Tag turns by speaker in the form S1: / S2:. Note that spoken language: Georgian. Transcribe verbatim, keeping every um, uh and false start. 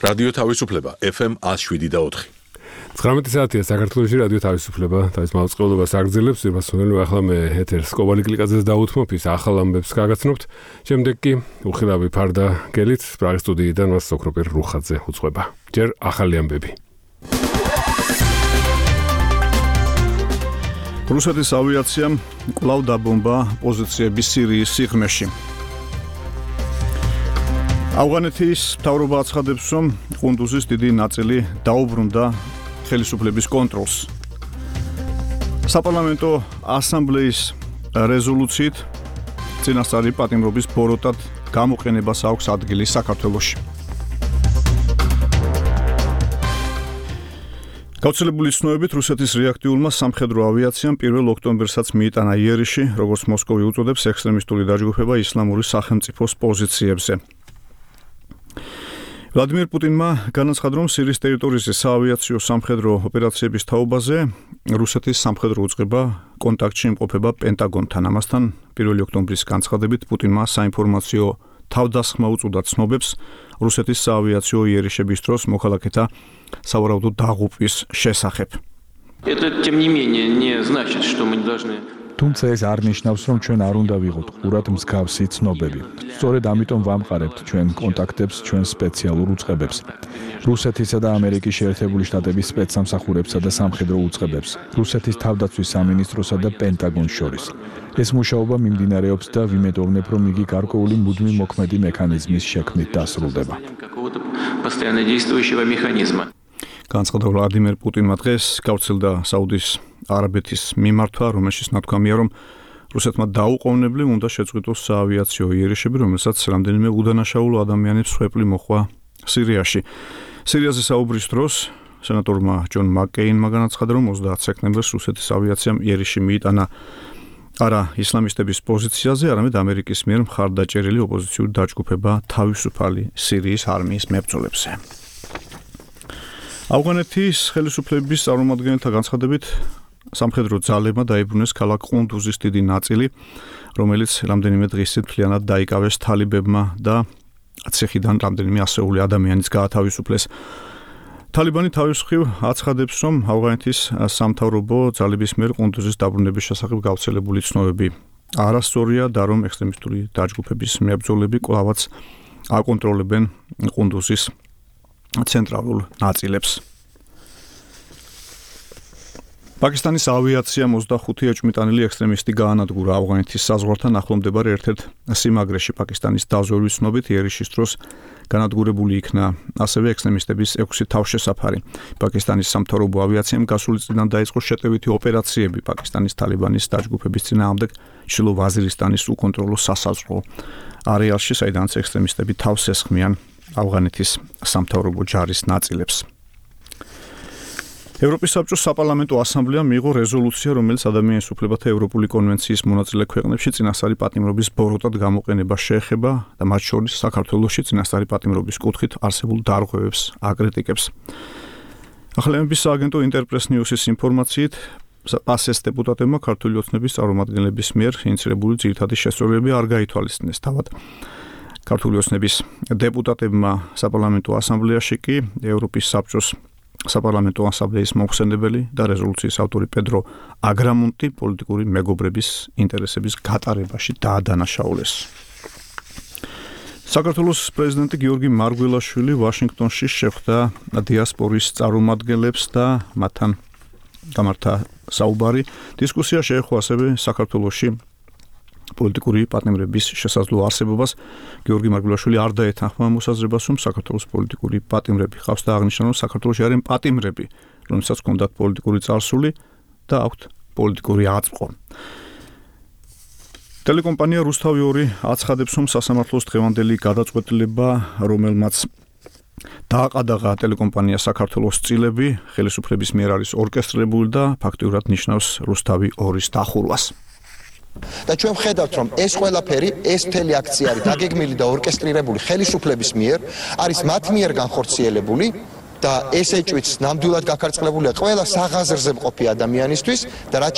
S1: რადიო თავისუფლება F M one oh seven და four.
S2: ცხრამეტი საათია საქართველოში რადიო თავისუფლება თავის მაუწყებლობას აგრძელებს. Ირმასონელი ახლა მე ეთერს კობალი კლიკაძეს დაუთმობ, ის ახალ ამბებს გაგაცნობთ. შემდეგ კი უხილავი ფარდა გელით პრაღის სტუდიიდან მას სოქროპერ რუხაძე უძღვება. ჯერ ახალი ამბები.
S3: რუსეთის ავიაციამ კვლავ დაბომბა პოზიციები სირიის სიღრმეში. ავღანეთის მთავრობა აცხადებს, რომ ყუნდუზის დიდი ნაწილი დაუბრუნდა ხელისუფლების კონტროლს. საპარლამენტო ასამბლეის რეზოლუციით წინასწარი პატიმრობის ბოროტად გამოყენებას აქვს ადგილი საქართველოში. გავრცელებული ცნობებით რუსეთის რეაქტიულმა სამხედრო ავიაციამ პირველ ოქტომბერსაც მიიტანა იერიში, როგორც მოსკოვი უწოდებს, ექსტრემისტული დაჯგუფება ისლამური სახელმწიფოს პოზიციებზე. ვლადიმერ პუტინმა განაცხადა, რომ სირიის ტერიტორიაზე საავიაციო სამხედრო ოპერაციების თაობაზე რუსეთის სამხედრო უწყება კონტაქტში იმყოფება პენტაგონთან. ამასთან პირველი ოქტომბრის განცხადებით პუტინმა საინფორმაციო თავდასხმა უწოდა ცნობებს რუსეთის საავიაციო იერიშების დროს მოქალაქეთა სავარაუდო დაღუპვის შესახებ.
S4: თუმცა ეს არ ნიშნავს, რომ ჩვენ არ უნდა ვიყოთ ყურად მსგავსი ცნობები. სწორედ ამიტომ ვამყარებთ ჩვენ კონტაქტებს, ჩვენ სპეციალურ უწყებებს, რუსეთისა და ამერიკის შეერთებული შტატების სპეცსამსახურებსა და სამხედრო უწყებებს, რუსეთის თავდაცვის სამინისტროსა და პენტაგონს შორის. ეს მუშაობა მიმდინარეობს და ვიმედოვნებ, რომ იგი გარკვეული მუდმივ მოქმედი მექანიზმის შექმნით დასრულდება.
S3: განცხადა ვლადიმერ პუტინმა დღეს გავრცელდა საუდის არაბეთის მიმართვა, რომელშიც ნათქვამია, რომ რუსეთმა დაუყოვნებლივ უნდა შეწყვიტოს საავიაციო იერიშები, რომელსაც რამდენიმე უდანაშაულო ადამიანებს ხვეპლი მოჰყვა სირიაში. სირიაზე საუბრის დროს სენატორმა ჯონ მაკკეინმა განაცხადა, რომ ოცდაათ სექტემბერს რუსეთის ავიაციამ იერიში მიიტანა არა ისლამისტების პოზიციაზე, არამედ ამერიკის მიერ მხარდაჭერილი ოპოზიციური დაჯგუფება თავისუფალი სირიის არმიის მებრძოლებზე. ავღანეთის ხელისუფლების წარმომადგენელთა განცხადებით სამხედრო ძალებმა დაიბრუნეს ქალაქ ყუნდუზის დიდი ნაწილი, რომელიც რამდენიმე დღის წინ მთლიანად დაიკავეს თალიბებმა და ციხიდან რამდენიმე ასეული ადამიანის გაათავისუფლეს. თალიბანი თავის მხრივ აცხადებს, რომ ავღანეთის სამთავრობო ძალების მიერ ყუნდუზის დაბრუნების შესახებ გავრცელებული ცნობები არასწორია და რომ ექსტრემისტული დაჯგუფების მებრძოლები კვლავაც აკონტროლებენ ყუნდუზის ცენტრალურ ნაწილებს. პაკისტანის ავიაციამ ოცდახუთი ეჭვმიტანილი ექსტრემისტი გაანადგურა ავღანეთის საზღვართან ახლომდებარე ერთ-ერთ სიმაგრეში. პაკისტანის დაზვერვის ცნობით იერიშის დროს განადგურებული იქნა ასევე ექსტრემისტების ექვსი თავშესაფარი. პაკისტანის სამთავრობო ავიაციამ გასული წლიდან დაიწყო შეტევითი ოპერაციები პაკისტანის თალიბანის დაჯგუფების წინააღმდეგ ჩრდილო ვაზირისტანის უკონტროლო სასაზღვრო არეალში, საიდანაც ექსტრემისტები თავს ესხმიან ავღანეთის სამთავრობო ჯარის ნაწილებს. ევროპის საბჭოს საპარლამენტო ასამბლეამ მიიღო რეზოლუცია, რომელიც ადამიანის უფლებათა ევროპული კონვენციის მონაწილე ქვეყნებში წინასწარი პატიმრობის ბოროტად გამოყენებას შეეხება და მათ შორის საქართველოში წინასწარი პატიმრობის კუთხით არსებულ დარღვევებს აკრიტიკებს. ახალემების სააგენტო ინტერპრეს ნიუსის ინფორმაციით პასეს დეპუტატებმა ქართული ოცნების წარმომადგენლების მიერ ინიცირებული ძირითადი შესწორებები არ გაითვალისწინეს. თავად ქართული ოცნების დეპუტატებმა საპარლამენტო ასამბლეაში კი ევროპის საბჭოს საპარლამენტო ასამბლეის მოხსენებელი და რეზოლუციის ავტორი პედრო აგრამონტი პოლიტიკური მეგობრების ინტერესების გატარებაში დაადანაშაულეს. საქართველოს პრეზიდენტი გიორგი მარგველაშვილი ვაშინგტონში შეხვდა დიასპორის წარმომადგენლებს და მათთან გამართა საუბარი. დისკუსია შეეხო ასევე საქართველოში პოლიტიკური პატიმრების შესაძლო არსებობას. გიორგი მარგველაშვილი არ დაეთანხმა მოსაზრებას, რომ საქართველოს პოლიტიკური პატიმრები ხავს და აღნიშნა, რომ საქართველოში არიან პატიმრები, რომელსაც ჰქონდათ პოლიტიკური წარსული და აქვთ პოლიტიკური აწმყო. ტელეკომპანია რუსთავი ორი აცხადებს, რომ სასამართლოს დღევანდელი გადაწყვეტილება, რომელმაც დააყადაღა ტელეკომპანია საქართველოს წილები, ხელისუფლების მიერ არის ორკესტრირებული და ფაქტიურად ნიშნავს რუსთავი ორის დახურვას.
S5: და ჩვენ ვხედავთ, რომ ეს ყველაფერი, ეს მთელი აქცია არის დაგეგმილი და ორკესტრირებული ხელისუფლების მიერ, არის მათ მიერ განხორციელებული და ეს ეჭვიც ნამდვილად გაქარწყლებულია ყველა საღაზრზე მყოფი ადამიანისთვის და რაც